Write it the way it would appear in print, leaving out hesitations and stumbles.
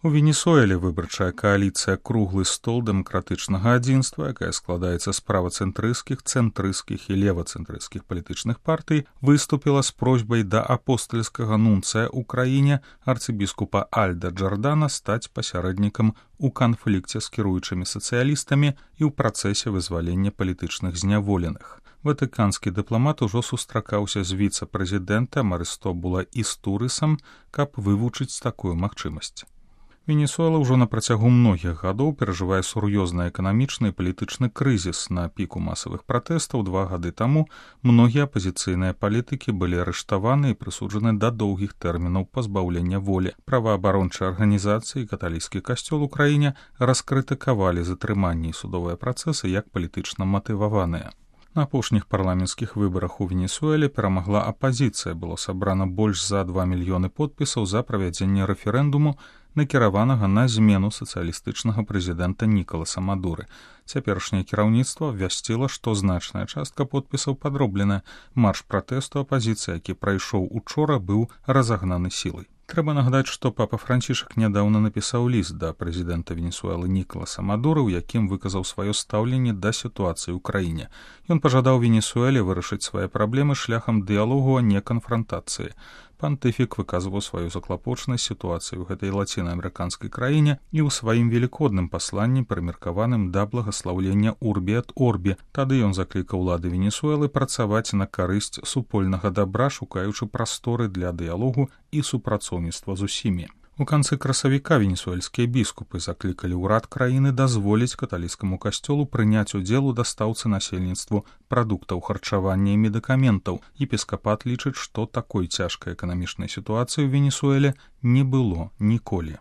У Венесуэле выбарчая кааліцыя «Круглы стол дэмакратычнага адзінства», якая складаецца з правацэнтрысцкіх, цэнтрысцкіх і левацэнтрысцкіх палітычных партый, выступіла з просьбай да апостальскага нунцыя ў краіне арцыбіскупа Альда Джордана стаць пасярэднікам у канфлікце з кіруючымі сацыялістамі і ў працэсе вызвалення палітычных зняволеных. Ватыканскі дыпламат ужо сустракаўся з віцэ-прэзідэнтам Арыстобула Істурысам, каб вывучыць такую магчымасць. Венесуэла ўжо на працягу многіх гадоў перажывае сур'ёзны эканамічны і палітычны крызіс. На піку масавых пратэстаў 2 гады таму многія апазіцыйныя палітыкі былі арыштаваны і прысуджаны да доўгіх тэрмінаў пазбаўлення волі. Праваабарончыя арганізацыі і каталіцкі касцёл у краіне раскрытыкавалі затрыманні і судовыя працэсы як палітычна матываваныя. На апошніх парламенцкіх выбарах у Венесуэле перамагла апазіцыя. Было сабрана больш за 2 мільёны подпісаў за правядзенне рэферэндуму, накіраванага на змену сацыялістычнага прэзідэнта Нікаласа Мадуры. Цяперашняе кіраўніцтва абвясціла, што значная частка подпісаў падробленая. Марш пратэсту апазіцыі, які прайшоў учора, быў разагнаны сілай. Трэба нагадаць, што папа Францішак нядаўна напісаў ліст да прэзідэнта Венесуэлы Нікаласа Мадуры, у якім выказаў сваё стаўленне да сітуацыі ў краіне. Ён пажадаў Венесуэле вырашыць свае праблемы шляхам дыялогу, а не канфрантацыі. Пантыфік выказваў сваю заклапочанасць сітуацыі ў гэтай лацінаамерыканскай краіне і ў сваім велікодным пасланні, прымеркаваным да благаслаўлення Урбі эт Орбі. Тады ён заклікаў улады Венесуэлы працаваць на карысць супольнага дабра, шукаючы прасторы для дыялогу і супрацоўніцтва з усімі. У канцы красавіка венесуэльскія біскупы заклікалі ўрад краіны дазволіць каталіцкаму касцёлу прыняць удзел у дастаўцы насельніцтву прадуктаў харчавання і медыкаментаў. Епіскапат лічыць, што такой цяжкай эканамічнай сітуацыі ў Венесуэле не было ніколі.